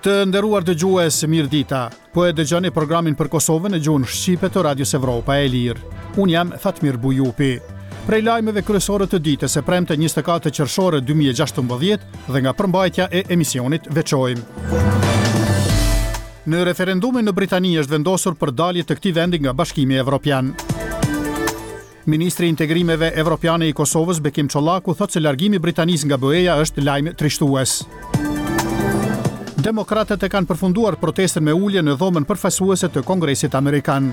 Të nderuar dëgjues, mirëdita. Po e dëgjoni programin për Kosovën në gjuhën shqipe të Radios Evropa e Lirë. Unë jam Fatmir Bujupi. Prej lajmeve kryesore të ditës së premte 24 qershor 2016 dhe nga përmbajtja e emisionit veçojmë. Në referendumin në Britani është vendosur për dalje të këtij vendi nga Bashkimi Evropian. Ministri i Integrimeve Evropiane i Kosovës, Bekim Çollaku, thotë se largimi i Britanisë nga BE-ja është lajm trishtues. Demokratët e kanë përfunduar protestën me ulje në dhomën përfaqësuese të Kongresit Amerikan.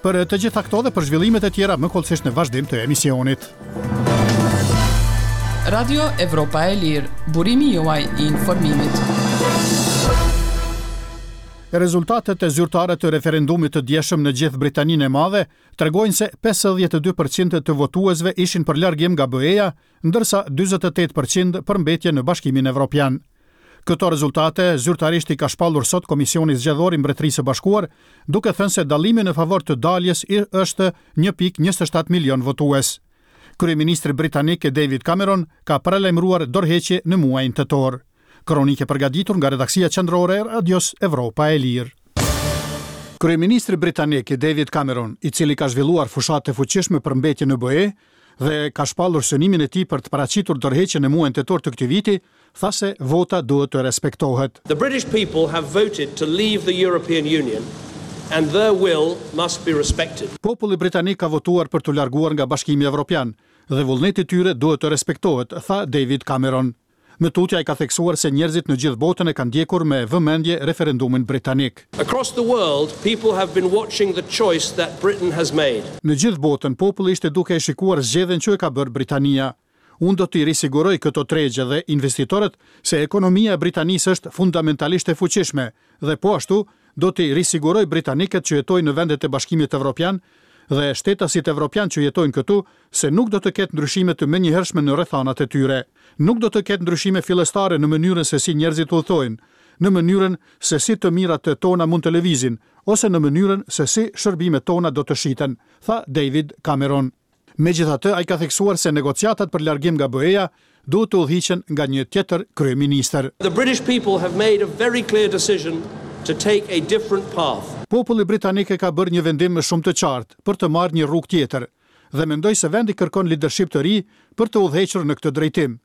Për të gjitha këto dhe për zhvillimet e tjera më hollësisht në vazhdim të emisionit. Radio Evropa e Lirë, burimi juaj i informimit. Rezultatet zyrtare të referendumit të djeshëm në gjithë Britaninë e Madhe tregojnë se 52 për qind të votuesve ishin për largim nga BE-ja, ndërsa 48 për qind për mbetje në Bashkimin Evropian. Këto rezultate zyrtarisht i ka shpallur sot Komisioni Zgjedhor i Mbretërisë së Bashkuar, duke thënë se dallimi në favor të daljes është 1.27 milion votues. Kryeministri britanik David Cameron ka paralajmëruar dorëheqje në muajin tetor. Kronikë e përgatitur nga redaksia qendrore e Radios Evropa e Lirë. Kryeministri britanik David Cameron, i cili ka zhvilluar fushatë të fuqishme për mbetje në BE dhe ka shpallur synimin e tij për të paraqitur dorëheqjen në muajin tetor të këtij viti, tha se vota duhet të respektohet. The British people have voted to leave the European Union and their will must be respected. Populli britanik ka votuar për t'u larguar nga Bashkimi Evropian dhe vullneti i tyre duhet të respektohet, tha David Cameron. Më tutje ai ka theksuar se njerëzit në gjithë botën e kanë ndjekur me vëmendje referendumin britanik. Across the world, people have been watching the choice that Britain has made. Në gjithë botën, populli ishte duke e shikuar zgjedhjen që e ka bërë Britania. Unë do t'i risiguroj këto tregje dhe investitorët se ekonomia e Britanisë është fundamentalisht e fuqishme dhe po ashtu do t'i risiguroj britanikët që jetojnë në vendet e Bashkimit Evropian dhe shtetasit evropianë që jetojnë këtu se nuk do të ketë ndryshime të menjëhershme në rrethanat e tyre. Nuk do të ketë ndryshime fillestare në mënyrën se si njerëzit udhëtojnë, në mënyrën se si të mirat tona mund të lëvizin, ose në mënyrën se si shërbimet tona do të shiten, tha David Cameron. Megjithatë, ai ka theksuar se negociatat për largim nga BE-ja duhet të udhëhiqen nga një tjetër kryeministër. The British people have made a very clear decision to take a different path. Populli britanik e ka bërë një vendim shumë të qartë për të marrë një rrugë tjetër dhe mendoj se vendi kërkon lidership të ri për të udhëhequr në këtë drejtim.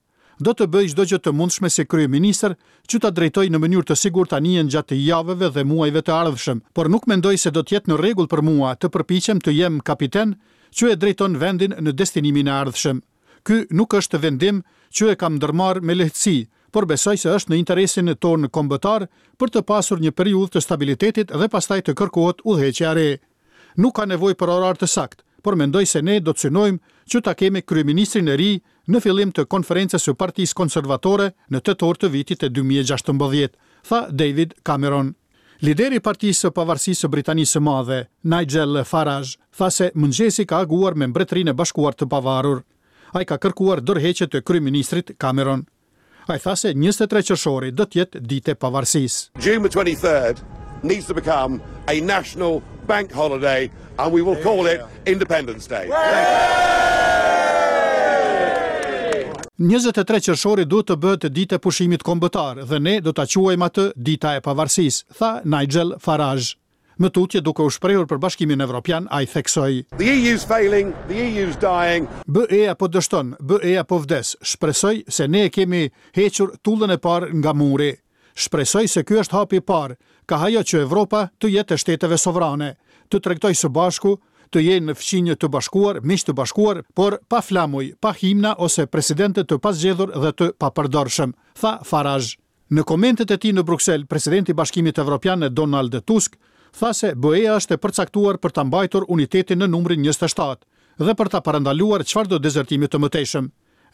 Do të bëj çdo gjë të mundshme si kryeministër që ta drejtoj në mënyrë të sigurt anijen gjatë javëve dhe muajve të ardhshëm, por nuk mendoj se do të jetë në rregull për mua të përpiqem të jem kapiten që e drejton vendin në destinimin e ardhshëm. Ky nuk është vendim që e kam ndërmarrë me lehtësi, por besoj se është në interesin tonë kombëtar për të pasur një periudhë të stabilitetit dhe pastaj të kërkohet udhëheqja e re. Nuk ka nevojë për orar të saktë, por mendoj se ne do të synojmë që ta kemi kryeministrin e ri në fillim të konferencës së Partisë Konservatore në tetor të vitit 2016, tha David Cameron. Lideri i Partisë së Pavarësisë së Britanisë së Madhe, Nigel Farage, tha se mëngjesi ka aguar me Mbretërinë e Bashkuar të Pavarur. Ai ka kërkuar dorëheqje të kryeministrit Cameron. Ai tha se 23 qershori do të jetë ditë e pavarësisë. June the 23rd needs to become a national bank holiday and we will call it Independence Day. 23 qershori duhet të bëhet ditë e pushimit kombëtar dhe ne do ta quajmë atë Dita e Pavarësisë, tha Nigel Farage. Më tutje duke u shprehur për Bashkimin Evropian, ai theksoi: The EU's failing, the EU's dying. BE-ja po dështon, BE-ja po vdes. Shpresoj se ne e kemi hequr tullën e parë nga muri. Shpresoj se ky është hapi i parë, kah ajo që Evropa të jetë e shteteve sovrane, të tregtojë së bashku, të jenë fqinjë të bashkuar, miq të bashkuar, por pa flamuj, pa himna ose presidentë të pazgjedhur dhe të papërdorshëm, tha Farage. Në komentet e tij në Bruksel, presidenti i Bashkimit Evropian Donald Tusk tha se BE-ja është e përcaktuar për ta mbajtur unitetin në numrin 27 dhe për ta parandaluar çfarëdo dezertimi të mëtejshëm.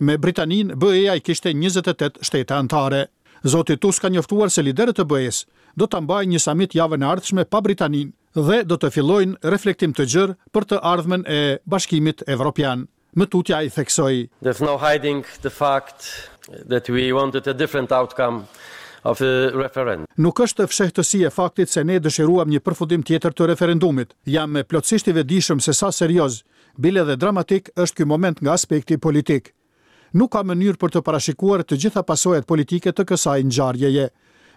Me Britaninë, BE-ja i kishte 28 shtete anëtare. Zoti Tusk ka njoftuar se liderët e BE-së do ta mbajnë një samit javën e ardhshme pa Britaninë dhe do të fillojnë reflektim të gjerë për të ardhmen e Bashkimit Evropian. Më tutje ai theksoi. There's no hiding the fact that we wanted a different outcome of the referendum. Nuk është fshehtësi e faktit se ne dëshiruam një përfundim tjetër të referendumit. Jam plotësisht i vetëdijshëm se sa serioz, bile dhe dramatik është ky moment nga aspekti politik. Nuk ka mënyrë për të parashikuar të gjitha pasojat politike të kësaj ngjarjeje.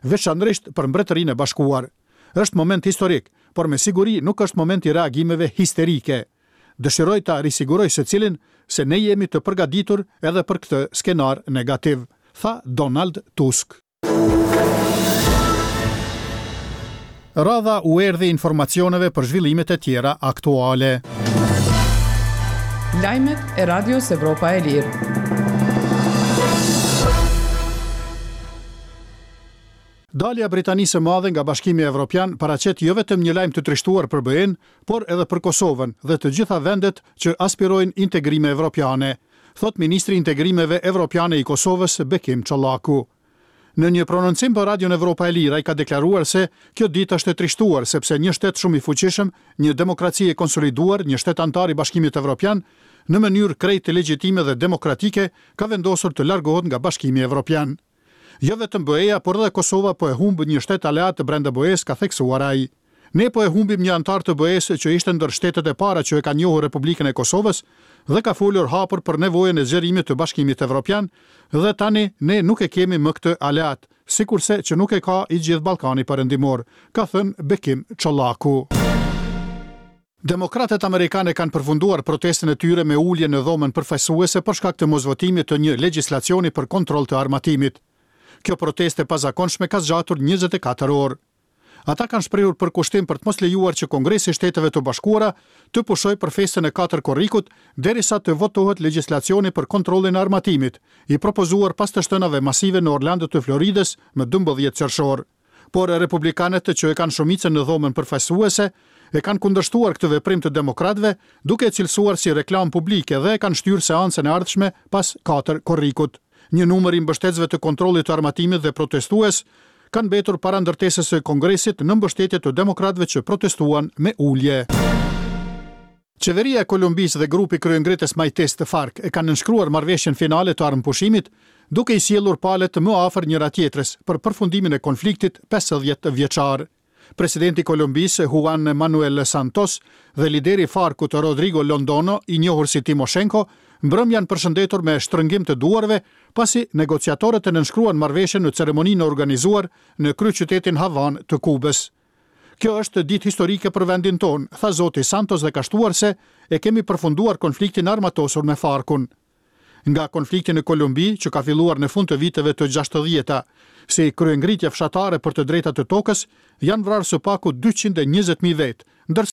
veçanërisht për Mbretërinë e Bashkuar. Është moment historik, por me siguri nuk është moment i reagimeve histerike. Dëshiroj ta risiguroj secilin se ne jemi të përgatitur edhe për këtë skenar negativ, tha Donald Tusk. Radha u erdhi informacioneve për zhvillimet e tjera aktuale. Lajmet e Radios Evropa e Lirë. Dalja e Britanisë së Madhe nga Bashkimi Evropian paraqet jo vetëm një lajm të trishtuar për BE-në, por edhe për Kosovën dhe të gjitha vendet që aspirojnë integrime evropiane, thotë ministri i Integrimeve Evropiane i Kosovës, Bekim Çollaku. Në një prononcim për Radion Evropa e Lirë ai ka deklaruar se kjo ditë është e trishtuar sepse një shtet shumë i fuqishëm, një demokraci e konsoliduar, një shtet anëtar i Bashkimit Evropian, në mënyrë krejt legjitime dhe demokratike ka vendosur të largohet nga Bashkimi Evropian. Jo vetëm BE-ja, por edhe Kosova po e humb një shtet aleat brenda BE-së, ka theksuar ai. Ne po e humbim një anëtar të BE-së që ishte ndër shtetet e para që e ka njohur Republikën e Kosovës dhe ka folur hapur për nevojën e zgjerimit të Bashkimit Evropian dhe tani ne nuk e kemi më këtë aleat, sikurse që nuk e ka i gjithë Ballkani Perëndimor, ka thënë Bekim Çollaku. Demokratët amerikanë e kanë përfunduar protestën e tyre me ulje në Dhomën Përfaqësuese për shkak të mosvotimit të një legjislacioni për kontroll të armatimit. Kjo protestë e pazakonshme ka zgjatur 24 orë. Ata kanë shprehur përkushtim për të mos lejuar që Kongresi i Shteteve të Bashkuara të pushojë për festën e 4 korrikut derisa të votohet legjislacioni për kontrollin e armatimit, i propozuar pas të shtënave masive në Orlando të Floridës më 12 qershor. Por republikanët që e kanë shumicën në dhomën përfaqësuese e kanë kundërshtuar këtë veprim të demokratëve, duke e cilësuar si reklamë publike dhe e kanë shtyrë seancën e ardhshme pas 4 korrikut. Një numër i mbështetësve të kontrollit të armatimit dhe protestues kanë mbetur para ndërtesës së Kongresit në mbështetje të demokratëve që protestuan me ulje. Qeveria e Kolumbisë dhe grupi kryengritës majtist FARC e kanë nënshkruar marrëveshjen finale të armëpushimit, duke i sjellur palët më afër njëra-tjetrës për përfundimin e konfliktit 50 vjeçar. Presidenti i Kolumbisë, Juan Manuel Santos, dhe lideri i FARC-ut Rodrigo Londono, i njohur si Timoshenko, mbrëmë janë përshëndetur me shtrëngim të duarve, pasi negociatorët e nënshkruan marrëveshjen në ceremoninë e organizuar në kryeqytetin Havanë të Kubës. Kjo është ditë historike për vendin tonë, tha zoti Santos dhe ka shtuar se e kemi përfunduar konfliktin e armatosur me FARC-un. Nga konflikti në Kolumbi, që ka filluar në fund të viteve të 60-ta, si kryengritje fshatare për të drejtat e tokës, janë vrarë së paku 220.000 vetë, ndërsa.